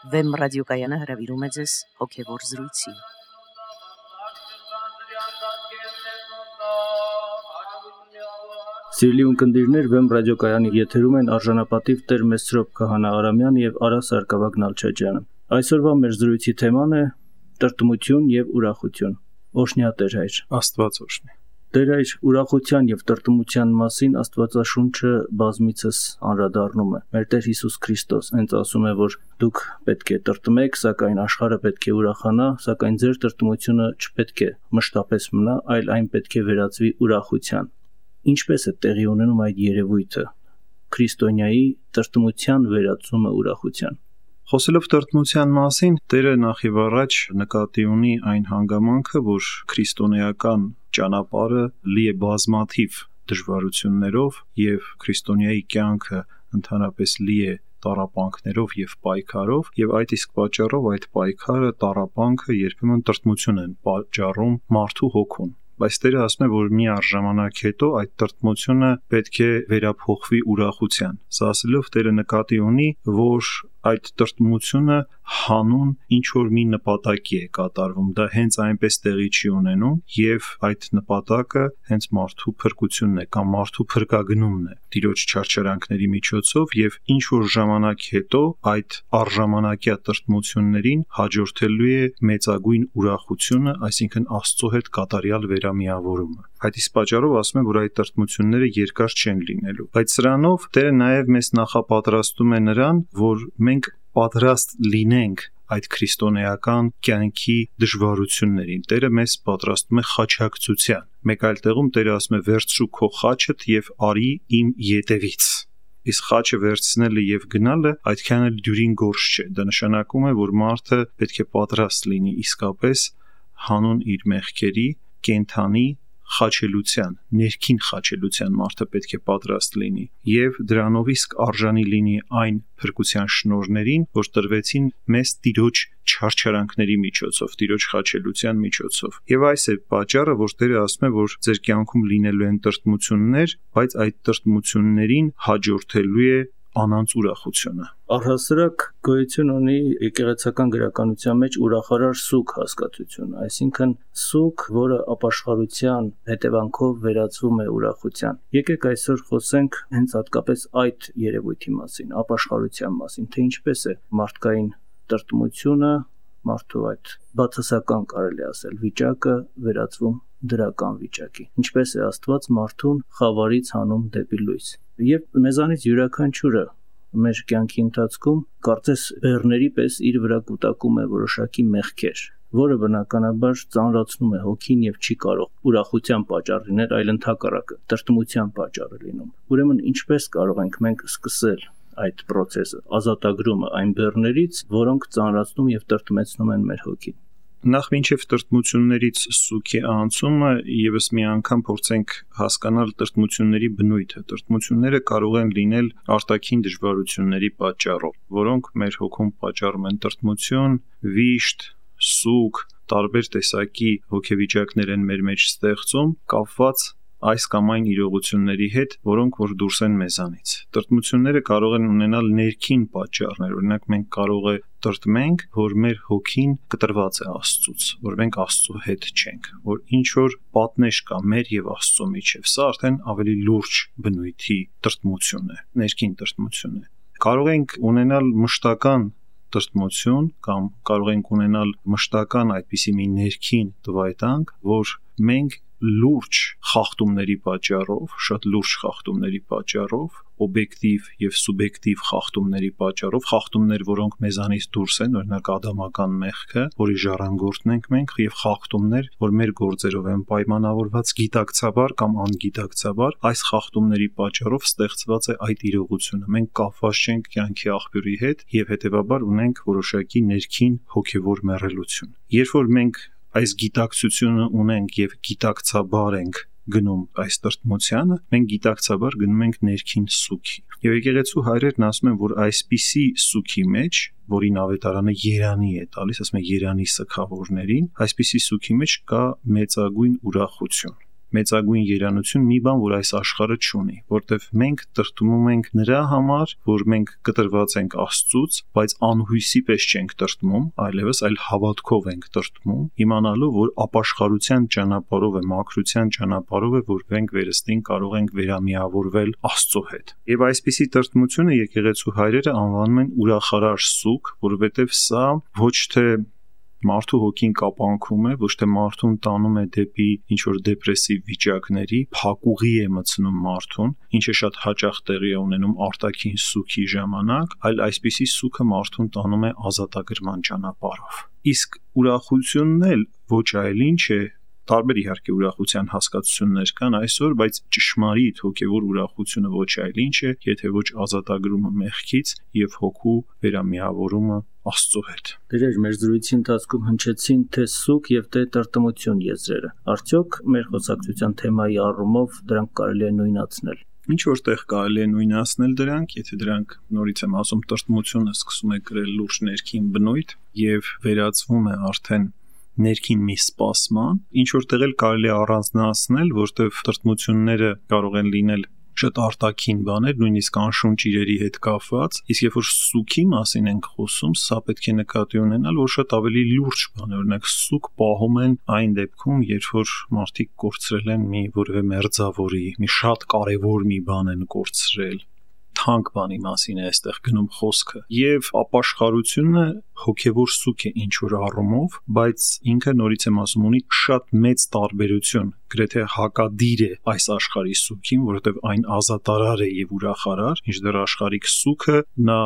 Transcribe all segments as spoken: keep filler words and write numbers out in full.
Վեմ ռադիոկայանը հրավիրում է ձեզ հոգևոր զրույցի։ Սիրելի ունկնդիրներ, Վեմ ռադիոկայանի եթերում են արժանապատիվ Տեր Մեսրոպ Քահանա Արամյան եւ Արա Սարգսակ Նալչաջյանը։ Այսօրվա մեր զրույցի թեման է տրտմություն եւ ուրախություն։ Օշնյա Տեր հայր։ Աստված օշնի։ Տեր այր ուրախության եւ տրտմության մասին Աստվածաշունչը բազմիցս անդրադառնում է։ Մեր Տեր Հիսուս Քրիստոս հենց ասում է, որ դուք պետք է տրտմեք, սակայն աշխարհը պետք է ուրախանա, սակայն ձեր տրտմությունը չպետք է մշտապես մնա, այլ այն պետք է վերածվի ուրախության։ Ինչպես է տեղի ունենում այդ երևույթը՝ քրիստոնյայի տրտմության վերածումը ուրախության։ Խոսելով տրտմության մասին, Տերը նախ եւ առաջ նկատի ունի այն հանգամանքը, որ քրիստոնեական ճանապարհը լի է բազմաթիվ դժվարություններով եւ քրիստոնյայի կյանքը ընդհանրապես լի է տառապանքներով եւ պայքարով, եւ այդ իսկ պատճառով այդ պայքարը, տառապանքը երբեմն տրտմություն են պատճառում մարդու հոգուն։ Բայց Տերը ասում է, որ մի առժամանակ հետո այդ տրտմությունը պետք է վերափոխվի ուրախության։ Սա ասելով Տերը նկատի ունի, որ այդ տրտմությունը հանուն ինչ որ մի նպատակի է կատարվում, դա հենց այնպես տեղի չի ունենում եւ այդ նպատակը հենց մարդու փրկությունն է կամ մարդու փրկագնումն է Տիրոջ չարչարանքների միջոցով եւ ինչ որ ժամանակ հետո այդ առժամանակյա տրտմություններին հաջորդելու է մեծագույն ուրախությունը, այսինքն Աստծո հետ կատարյալ վերամիավորումը։ Այդ իսկ պատճառով ասում է, որ այդ տրտմությունները երկար չեն լինելու։ Բայց սրանով Տերը նաեւ մեզ նախապատրաստում է նրան, որ մենք պատրաստ լինենք այդ քրիստոնեական կյանքի դժվարություններին։ Տերը մեզ պատրաստում է խաչակցության։ Մեկ այլ տեղում Տերը ասում է. «Վերցրու քո խաչդ եւ արի իմ ետևից»։ Իսկ խաչը վերցնելը եւ գնալը այդքան էլ դյուրին գործ չէ։ Դա նշանակում է, որ մարդը պետք է պատրաստ լինի իսկապես հանուն իր մեղքերի կենթանի խաչելության, ներքին խաչելության մարդը պետք է պատրաստ լինի եւ դրանով իսկ արժանի լինի այն փրկության շնորհներին, որ տրվեցին մեզ Տիրոջ չարչարանքների միջոցով, Տիրոջ խաչելության միջոցով։ Եվ այս է պատճառը, որ Տերը ասում է, որ ձեր կյանքում լինելու են տրտմություններ, բայց այդ տրտմություններին հաջորդելու է անանց ուրախությունը։ Առհասարակ գոյություն ունի եկեղեցական գրականության մեջ ուրախարար սուգ հասկացությունը, այսինքն սուգ, որը ապաշխարության հետևանքով վերածվում է ուրախության։ Եկեք այսօր խոսենք հենց հատկապես այդ երևույթի մասին, ապաշխարության մասին, թե ինչպես է մարդկային տրտմությունը, մարդու այդ բացասական կարելի ասել վիճակը վերածվում դրական վիճակի։ Ինչպես է Աստված մարդուն խավարից հանում դեպի լույս։ Եվ մեզանից յուրաքանչյուրը մեր կյանքի ընթացքում կարծես բեռների պես իր վրա կուտակում է որոշակի մեղքեր, որը բնականաբար ծանրացնում է հոգին եւ չի կարող ուրախության պատճառ լինել, այլ ընդհակառակը տրտմության պատճառ է լինում։ Ուրեմն ինչպես կարող ենք մենք սկսել այդ process-ը, ազատագրումը այն բեռներից, որոնք ծանրացնում եւ տրտմեցնում են մեր հոգին։ Նախ մինչև տրտմություններից սուգի անցումը եւս մի անգամ փորձենք հասկանալ տրտմությունների բնույթը։ Տրտմությունները կարող են լինել արտաքին դժվարությունների պատճառով, որոնք մեր հոգում պատճառում են տրտմություն, վիշտ, սուգ, տարբեր տեսակի հոգեվիճակներ են մեր մեջ ստեղծում, կապված այս կամ այն իրողությունների հետ, որոնք որ դուրս են մեզանից։ Տրտմությունները կարող են ունենալ ներքին պատճառներ, օրինակ մենք կարող է տրտմենք, որ մեր հոգին կտրված է Աստծուց, որ մենք Աստծո հետ չենք, որ ինչ որ պատնեշ կա մեր եւ Աստծո միջեւ։ Սա արդեն ավելի լուրջ բնույթի տրտմություն է, ներքին տրտմություն է։ Կարող ենք ունենալ մշտական տրտմություն կամ կարող ենք ունենալ մշտական այդպիսի մի ներքին տվայտանք, որ մենք լուրջ խախտումների պատճառով, շատ լուրջ խախտումների պատճառով, օբյեկտիվ եւ սուբյեկտիվ խախտումների պատճառով, խախտումներ, որոնք մեզանից դուրս են, օրինակ ադամական մեղքը, որի ժառանգորդն ենք մենք, եւ խախտումներ, որ մեր գործերով են պայմանավորված գիտակցաբար կամ անգիտակցաբար, այս խախտումների պատճառով ստեղծված է այդ իրողությունը։ Մենք կապված չենք կյանքի աղբյուրի հետ եւ հետեւաբար ունենք որոշակի ներքին հոգեվոր մեռելություն։ Երբ որ մենք այս գիտակցությունը ունենք եւ գիտակցաբար ենք գնում այս տրտմությանը, մենք գիտակցաբար գնում ենք ներքին սուգի։ Եվ եկեղեցու հայրերն ասում են, որ այսպիսի սուգի մեջ, որին ավետարանը երանի է տալիս, ասում է երանի սգավորներին, այսպիսի սուգի մեջ կա մեծագույն ուրախություն։ մեծագույն երանություն մի բան, որ այս աշխարհը չունի, որտեվ մենք տրտմում ենք նրա համար, որ մենք կտրված ենք Աստծուց, բայց անհույսի պես չենք տրտմում, այլևս այլ հավատքով ենք տրտմում, իմանալով, որ ապաշխարության ճանապարհով է, մաքրության ճանապարհով է, որ մենք վերստին կարող ենք վերամիավորվել Աստծո հետ։ Եվ այսպիսի տրտմությունը եկեղեցու հայրերը անվանում են ուրախարար սուգ, որովհետև սա ոչ թե մարդու հոգին կապանքում է, ոչ թե մարդուն տանում է դեպի ինչ-որ դեպրեսիվ վիճակների, փակուղի է մտցնում մարդուն, ինչը շատ հաճախ տեղի է ունենում արտաքին սուգի ժամանակ, այլ այսպիսի սուգը մարդուն տանում է ազատագրման ճանապարհով։ Իսկ ուրախությունն էլ ոչ այլ ինչ է, տարբեր իհարկե ուրախության հասկացություններ կան այսօր, բայց ճշմարիտ հոգևոր ուրախությունը ոչ այլ ինչ է, եթե ոչ ազատագրումը մեղքից եւ հոգու վերամիավորումը Աստծո հետ։ Դերեր մեր զրույցի ընթացքում հնչեցին թե սուգ եւ թե տրտմություն եզրերը։ Արդյոք մեր խոսակցության թեմայի առումով դրանք կարելի է նույնացնել։ Ինչ որտեղ կարելի է նույնացնել դրանք, եթե դրանք նորից եմ ասում, տրտմությունը սկսում է կրել լուրջ ներքին բնույթ եւ վերածվում է արդեն ներքին մի սպասման, ինչ որտեղ էլ կարելի է առանձնացնել, որտեղ տրտմությունները կարող են լինել շատ արտաքին բաներ, նույնիսկ անշունչ իրերի հետ կապված, իսկ երբ որ սուգի մասին ենք խոսում, սա պետք է նկատի ունենալ, որ շատ ավելի լուրջ բան է, օրինակ սուգ պահում են այն դեպքում, երբ որ մարդիկ կորցրել են մի որևէ մերձավորի, մի շատ կարևոր մի բան են կորցրել, թանկ բանի մասին է այստեղ գնում խոսքը, եւ ապաշխարությունը հոգևոր սուգ է ինչ որ առումով, բայց ինքը նորից եմ ասում ունի շատ մեծ տարբերություն, գրեթե հակադիր է այս աշխարհի սուգին, որովհետեւ այն ազատարար է եւ ուրախարար, ինչդեռ աշխարհիկ սուգը նա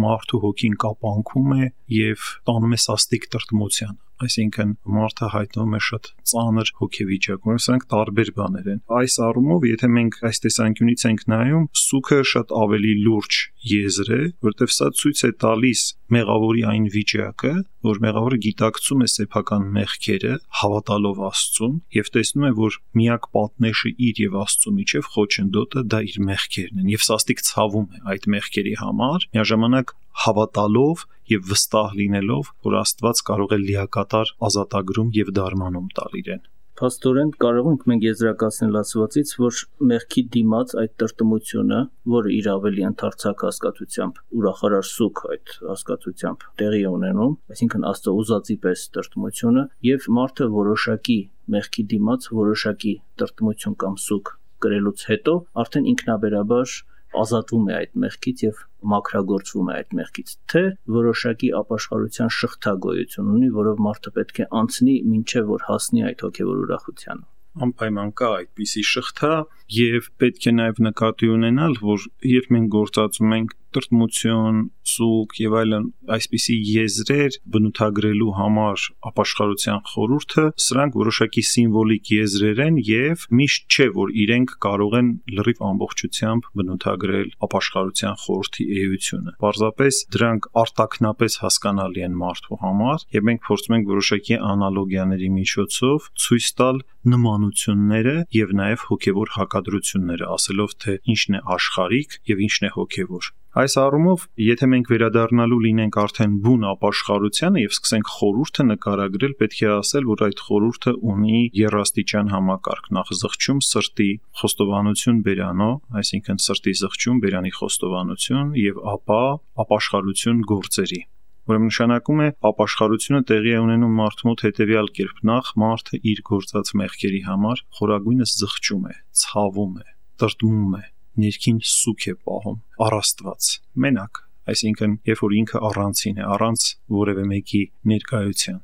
մարդու հոգին կապանքում է եւ տանում է սաստիկ տրտմության, այսինքն մարդը հայտնվում է շատ ծանր հոգեվիճակում, սրանք տարբեր բաներ են։ Այս առումով, եթե մենք այս տեսանկյունից ենք նայում, սուգը շատ ավելի լուրջ եզր է, որտեղ սա ցույց է տալիս մեղավորի այն վիճակը, որ մեղավորը գիտակցում է սեփական մեղքերը, հավատալով Աստծուն եւ տեսնում է, որ միակ պատնեշը իր եւ Աստծո միջև խոչընդոտը դա իր մեղքերն են եւ սաստիկ ցավում է այդ մեղքերի համար, միաժամանակ հավատալով եւ վստահ լինելով, որ Աստված կարող է լիակատար ազատագրում եւ դարմանում տալ իրեն։ Փաստորեն կարող ենք մենք եզրակացնել ասվածից, որ մեղքի դիմաց այդ տրտմությունը, որը իր ավելի ընդարձակ հասկացությամբ, ուրախարար սուգ այդ հասկացությամբ տեղի է ունենում, այսինքն Աստծո ուզածի պես տրտմությունը, եւ մարդը որոշակի մեղքի դիմաց որոշակի տրտմություն կամ սուգ կրելուց հետո արդեն ինքնաբերաբար ազատվում է այդ մեղքից եւ մաքրագործվում է այդ մեղքից, թե որոշակի ապաշխարության շղթագոյություն ունի, որով մարդը պետք է անցնի մինչև որ հասնի այդ հոգևոր ուրախությանը։ Անպայման կա այդպիսի շղթա եւ պետք է նաեւ նկատի ունենալ, որ երբ մենք գործածում ենք տրտմություն, սուգ եւ այլն այսպիսի եզրեր բնութագրելու համար ապաշխարության խորհուրդը, սրանք որոշակի սիմվոլիկ եզրեր են եւ միշտ չէ, որ իրենք կարող են լրիվ ամբողջությամբ բնութագրել ապաշխարության խորհրդի էությունը։ Պարզապես դրանք արտաքնապես հասկանալի են մարդու համար եւ մենք փորձում ենք որոշակի անալոգիաների միջոցով ցույց տալ նմանությունները եւ նաեւ հոգեվոր հակադրությունները, ասելով թե ինչն է աշխարհիկ եւ ինչն է հոգեվոր։ Այս առումով, եթե մենք վերադառնալու լինենք արդեն բուն ապաշխարությանը եւ սկսենք խորհուրդը նկարագրել, պետք է ասել, որ այդ խորհուրդը ունի երաստիճան համակարգ, նախ զղջում սրտի խոստովանություն բերանո, այսինքն սրտի զղջում բերանի խոստովանություն եւ ապա ապաշխարություն գործերի։ Ուրեմն նշանակում է ապաշխարությունը տեղի է ունենում մարդու մոտ հետեւյալ կերպ. նախ մարդը իր գործած մեղքերի համար խորագույնս զղջում է, ցավում է, տրտմում է, ներքին սուգ է պահում, առաստված, մենակ, այսինքն երբ որ ինքը առանցին է, առանց որևէ մեկի ներկայության։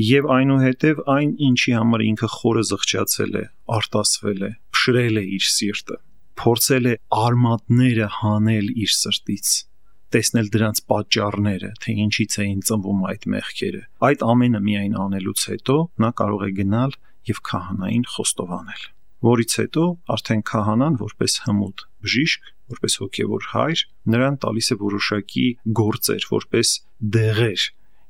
Եվ այնուհետև այն, ինչի համար ինքը խորը զղջացել է, արտասվել է, փշրել է իր սիրտը, փորձել է արմատները հանել իր սրտից, տեսնել դրանց պատճառները, թե ինչից էին ծնվում այդ մեղքերը։ Այդ ամենը միայն անելուց հետո նա կարող է գնալ եւ քահանային խոստովանել, որից հետո արդեն քահանան որպես հմուտ բժիշկ, որպես հոգևոր հայր, նրան տալիս է որոշակի գործեր, որպես դեղեր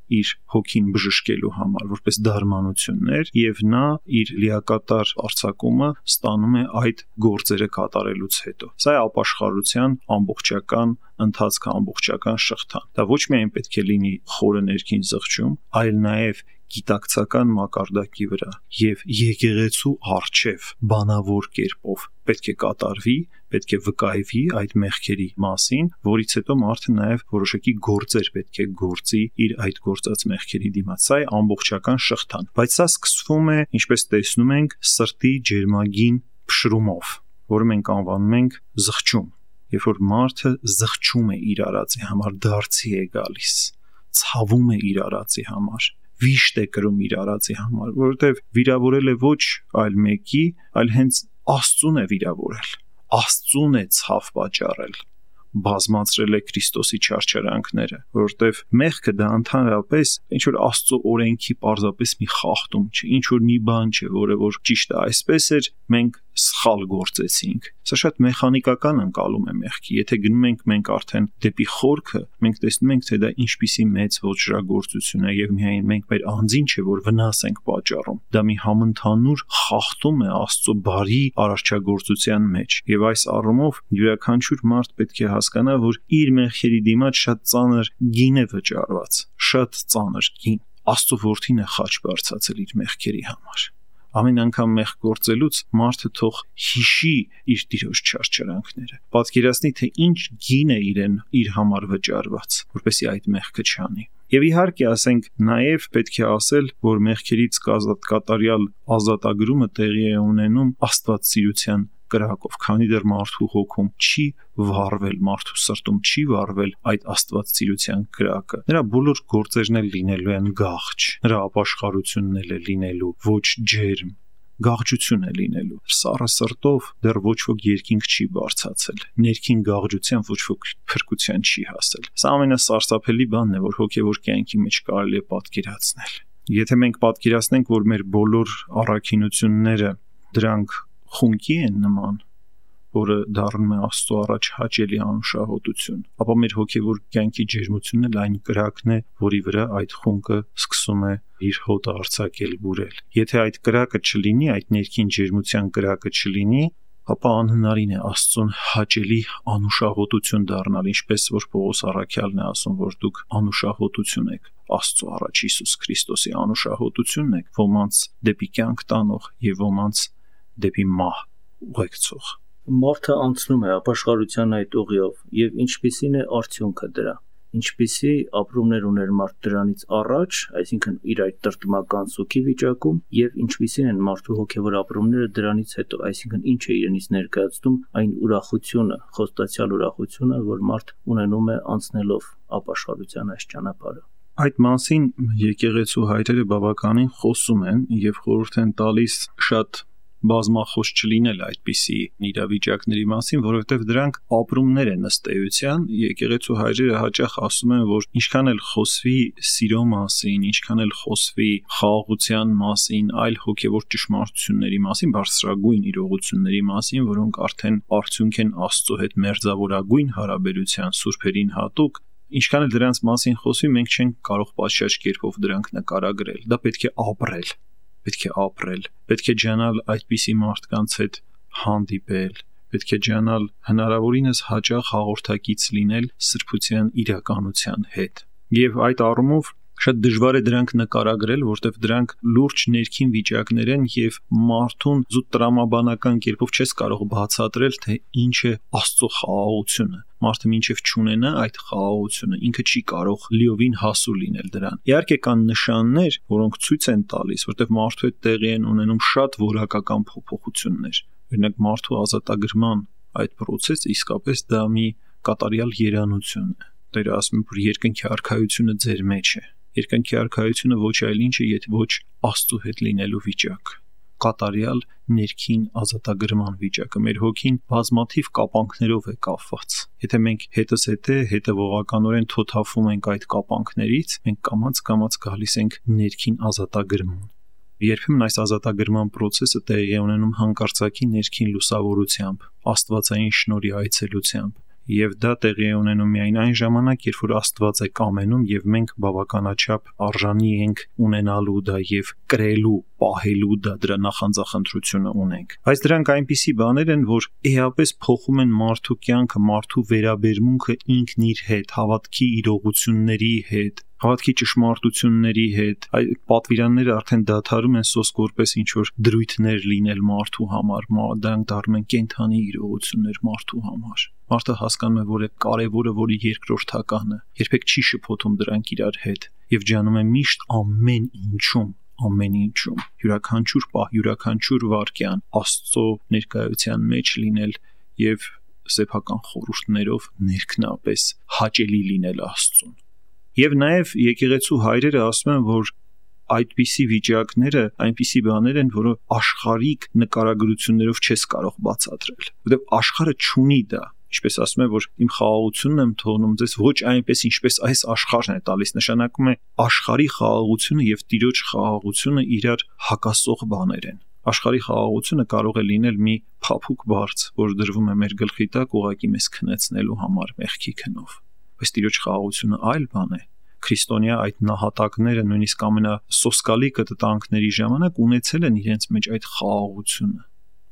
իր հոգին բժշկելու համար, որպես դարմանություններ, եւ նա իր լիակատար արձակումը ստանում է այդ գործերը կատարելուց հետո։ Սա է ապաշխարության ամբողջական ընթացքը, ամբողջական շղթան։ Դա ոչ միայն պետք է լինի խորը ներքին զղջում, այլ նաեւ գիտակցական մակարդակի վրա եւ եկեղեցու արչեւ բանավոր կերպով պետք է կատարվի, պետք է վկայվի այդ մեղքերի մասին, որից հետո մարդը նաեւ որոշակի գործեր պետք է գործի իր այդ գործած մեղքերի դիմաց։ Սա է ամբողջական շղթան, բայց սա սկսվում է, ինչպես տեսնում ենք, սրտի ջերմագին փշրումով, որը մենք անվանում ենք զղջում։ Երբ որ մարդը զղջում է իր արածի համար, դարձի է գալիս, ցավում է իր արածի համար, վիշտ է կրում իր արածի համար, որովհետև վիրավորել է ոչ այլ մեկի, այլ հենց Աստծուն է վիրավորել, Աստծուն է ցավ պատճառել, բազմացրել է Քրիստոսի չարչարանքները, որովհետև մեղքը դա ընդհանրապես ինչ որ Աստծո օրենքի պարզապես մի խախտում չէ, ինչ որ մի բան չէ, որը որ ճիշտ է այսպես էր, մենք սխալ գործեցինք։ Սա շատ մեխանիկական ընկալում է մեղքի։ Եթե գնում ենք մենք արդեն դեպի խորքը, մենք տեսնում ենք, թե դա ինչպիսի մեծ ոչրագործություն է եւ միայն մենք մեր անձին չէ, որ վնաս ենք պատճառում։ Դա մի համընդհանուր խախտում է Աստծո բարի արարչագործության մեջ։ Եվ այս առումով յուրաքանչյուր մարդ պետք է հասկանա, որ իր մեղքերի դիմաց շատ ծանր գին է վճարված, շատ ծանր գին։ Աստծո որդին է խաչ բարձրացել իր մեղքերի համար։ Ամեն անգամ մեղք գործելուց մարդը թող հիշի իր Տիրոջ չարչարանքները, պատկերացնի, թե ինչ գին է իրեն իր համար վճարված, որպեսզի այդ մեղքը չանի։ Եվ իհարկե ասենք նաև պետք է ասել, որ մեղքերից կատարյալ ազատագրումը տեղի է ունենում աստվածասիրության կրակով, քանի դեռ մարդու հոգում չի վառվել, մարդու սրտում չի վառվել այդ աստվածասիրության կրակը։ Նրա բոլոր գործերն էլ լինելու են գաղջ, նրա ապաշխարությունն էլ է լինելու ոչ ջերմ, գաղջություն է լինելու։ Սառը սրտով դեռ ոչ ոք երկինք չի բարձացել, ներքին գաղջության ոչ ոք փրկության չի հասել։ Սա ամենասարսափելի բանն է, որ հոգևոր կյանքի մեջ կարելի է պատկերացնել։ Եթե մենք պատկերացնենք, որ մեր բոլոր առաքինությունները դրանք խունկի են նման, որը դառնում է Աստծո առաջ հաճելի անուշահոտություն, ապա մեր հոգևոր կյանքի ջերմությունն էլ այն կրակն է, որի վրա այդ խունկը սկսում է իր հոտը արձակել, բուրել։ Եթե այդ կրակը չլինի, այդ ներքին ջերմության կրակը չլինի, ապա անհնարին է Աստծուն հաճելի անուշահոտություն դառնալ, ինչպես որ Պողոս առաքյալն է ասում, որ դուք անուշահոտություն եք Աստծո առաջ Հիսուս Քրիստոսի անուշահոտությունն եք, ոմանց դեպի կյանք տանող եւ ոմանց դեպի մահ ուղեկցող։ Մարդը անցնում է ապաշխարության այդ ուղիով եւ ինչպիսին է արդյունքը դրա, ինչպիսի ապրումներ ուներ մարդ դրանից առաջ, այսինքն իր այդ տրտմական սուքի վիճակում, եւ ինչպիսին են մարդու հոգեվոր ապրումները դրանից հետո, այսինքն ինչ է իրենից ներկայացնում այն ուրախությունը, խոստացյալ ուրախությունը, որ մարդ ունենում է անցնելով ապաշխարության այս ճանապարհը։ Այդ մասին եկեղեցու հայրերը բավականին խոսում են եւ խորհուրդ են տալիս շատ բազմախոս չլինել այդպիսի իրավիճակների մասին, որովհետև դրանք ապրումներ են ըստ էության։ Եկեղեցու հայրերը հաճախ ասում են, որ ինչքան էլ խոսվի սիրո մասին, ինչքան էլ խոսվի խաղաղության մասին, այլ հոգևոր ճշմարտությունների մասին, բարձրագույն իրողությունների մասին, որոնք արդեն արդյունք են Աստծո հետ մերձավորագույն հարաբերության սուրբերին հատուկ, ինչքան էլ դրանց մասին խոսվի, մենք չենք կարող պատշաճ կերպով դրանք նկարագրել։ Դա պետք է ապրել։ Պետք է ապրել, պետք է ջանալ այդպիսի մարդկանց հետ հանդիպել, պետք է ջանալ հնարավորինս հաճախ հաղորդակից լինել սրբության իրականության հետ։ Եվ այդ առումով շատ դժվար է դրանք նկարագրել, որտեղ դրանք լուրջ ներքին վիճակներ են եւ մարդուն զուտ տրամաբանական կերպով չես կարող բացատրել, թե ինչ է Աստծո խաղաղությունը։ Մարդը մինչև չունենա այդ խաղաղությունը, ինքը չի կարող լիովին հասու լինել դրան։ Իհարկե կան նշաններ, որոնք ցույց են տալիս, որտեղ մարդու հետ տեղի են ունենում շատ որակական փոփոխություններ։ Օրինակ մարդու ազատագրման այդ process-ը իսկապես դա մի կատարյալ երանություն է։ Տերը ասում է, որ երկնքի արքայությունը ձեր մեջ է։ Երկնքի արքայությունը ոչ այլ ինչ է, եթե ոչ Աստծո հետ լինելու վիճակ, կատարյալ ներքին ազատագրման վիճակը։ Մեր հոգին բազմաթիվ կապանքներով է կապված։ Եթե մենք հետս հետե հետևողականորեն թոթափվում ենք այդ կապանքներից, մենք կամաց-կամաց գալիս ենք ներքին ազատագրման։ Երբեմն այս ազատագրման process-ը տեղի է ունենում հանկարծակի ներքին լուսավորությամբ, աստվածային շնորհի այցելությամբ։ Եվ դա տեղի է ունենում միայն այն ժամանակ, երբ որ Աստված է կամենում եւ մենք բավականաչափ արժանի ենք ունենալու դա եւ կրելու, պահելու դա, դրա նախանձախնդրությունը ունենք։ Բայց դրանք այնպիսի բաներ են, որ էապես փոխում են մարդու կյանքը, մարդու վերաբերմունքը ինքն իր հետ, հավատքի իրողությունների հետ, Հավատքի ճշմարտությունների հետ, այդ պատվիրանները արդեն դադարում են սոսկ որպես ինչ որ դրույթներ լինել մարդու համար, դրանք դառնում են կենդանի իրողություններ մարդու համար։ Մարդը հասկանում է, որ է կարևորը, որի երկրորդականը, երբեք չի շփոթում դրանք իրար հետ եւ ջանում է միշտ ամեն ինչում, ամեն ինչում, յուրաքանչյուր պահ, յուրաքանչյուր վայրկյան Աստծո ներկայության մեջ լինել եւ սեփական խորհուրդներով ներքնապես հաճելի լինել Աստծուն։ Եվ նաև եկեղեցու հայրերը ասում են, որ այդպիսի վիճակները այնպիսի բաներ են, որը աշխարհիկ նկարագրություններով չես կարող բացատրել, որովհետև աշխարհը չունի դա։ Ինչպես ասում են, որ իմ խաղաղությունն եմ թողնում ձեզ ոչ այնպես, ինչպես այս աշխարհն է տալիս, նշանակում է աշխարհի խաղաղությունը եւ Տիրոջ խաղաղությունը իրար հակասող բաներ են։ Աշխարհի խաղաղությունը կարող է լինել մի փափուկ բարձ, որ դրվում է մեր գլխի տակ ուղակի մեզ քնեցնելու համար մեղքի քնով։ Բայց Տիրոջ խաղաղությունը այլ բան է։ Քրիստոնյա այդ նահատակները նույնիսկ ամենասոսկալի կտտանքների ժամանակ ունեցել են իրենց մեջ այդ խաղաղությունը։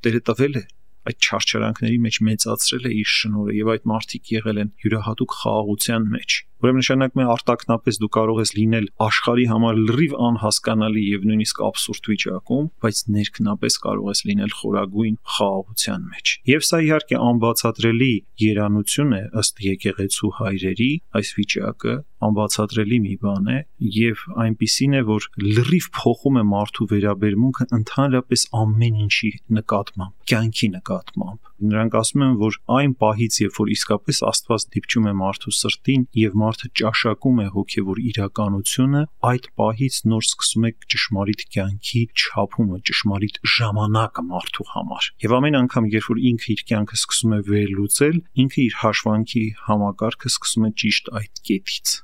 Տերը տվել է այդ չարչարանքների մեջ մեծացրել է իր շնորհը եւ այդ մարդիկ եղել են յուրահատուկ խաղաղության մեջ։ Ուրեմն նշանակում է արտակնապես դու կարող ես լինել աշխարհի համար լրիվ անհասկանալի եւ նույնիսկ абսուրդ վիճակում, բայց ներքնապես կարող ես լինել խորագույն խաղաղության մեջ։ Եվ սա իհարկե անբացատրելի երանություն է ըստ եկեղեցու հայրերի, այս վիճակը անբացատրելի մի բան է եւ այնպիսին է, որ լրիվ փոխում է մարդու վերաբերմունքը ընդհանրապես ամեն ինչի նկատմամբ, կյանքի նկատմամբ։ Նրանք ասում են, որ այն պահից, երբ որ իսկապես Աստված դիպչում է մարդու սրտին եւ մարդը ճաշակում է հոգեվոր իրականությունը, այդ պահից նոր սկսում է ճշմարիտ կյանքի չափումը, ճշմարիտ ժամանակը մարդու համար։ Եվ ամեն անգամ, երբ որ ինքը իր կյանքը սկսում է վերլուծել, ինքը իր հաշվանքի համակարգը սկսում է ճիշտ այդ կետից։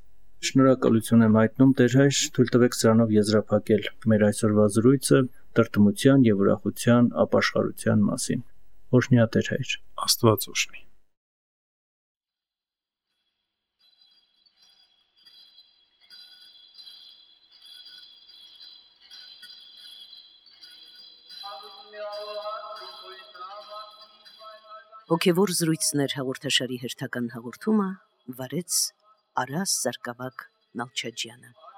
Շնորհակալություն եմ հայտնում Տեր հայր, թույլ տվեք սրանով եզրափակել մեր այսօրվա զրույցը տրտմության եւ ուրախության ապաշխարության մասին։ Օրհնյա Տեր հայր։ Աստված օրհնի։ Հոգևոր զրույցներ հաղորդաշարի հերթական հաղորդումը վարեց Արաս Սարգսակ Նալչաջյանը։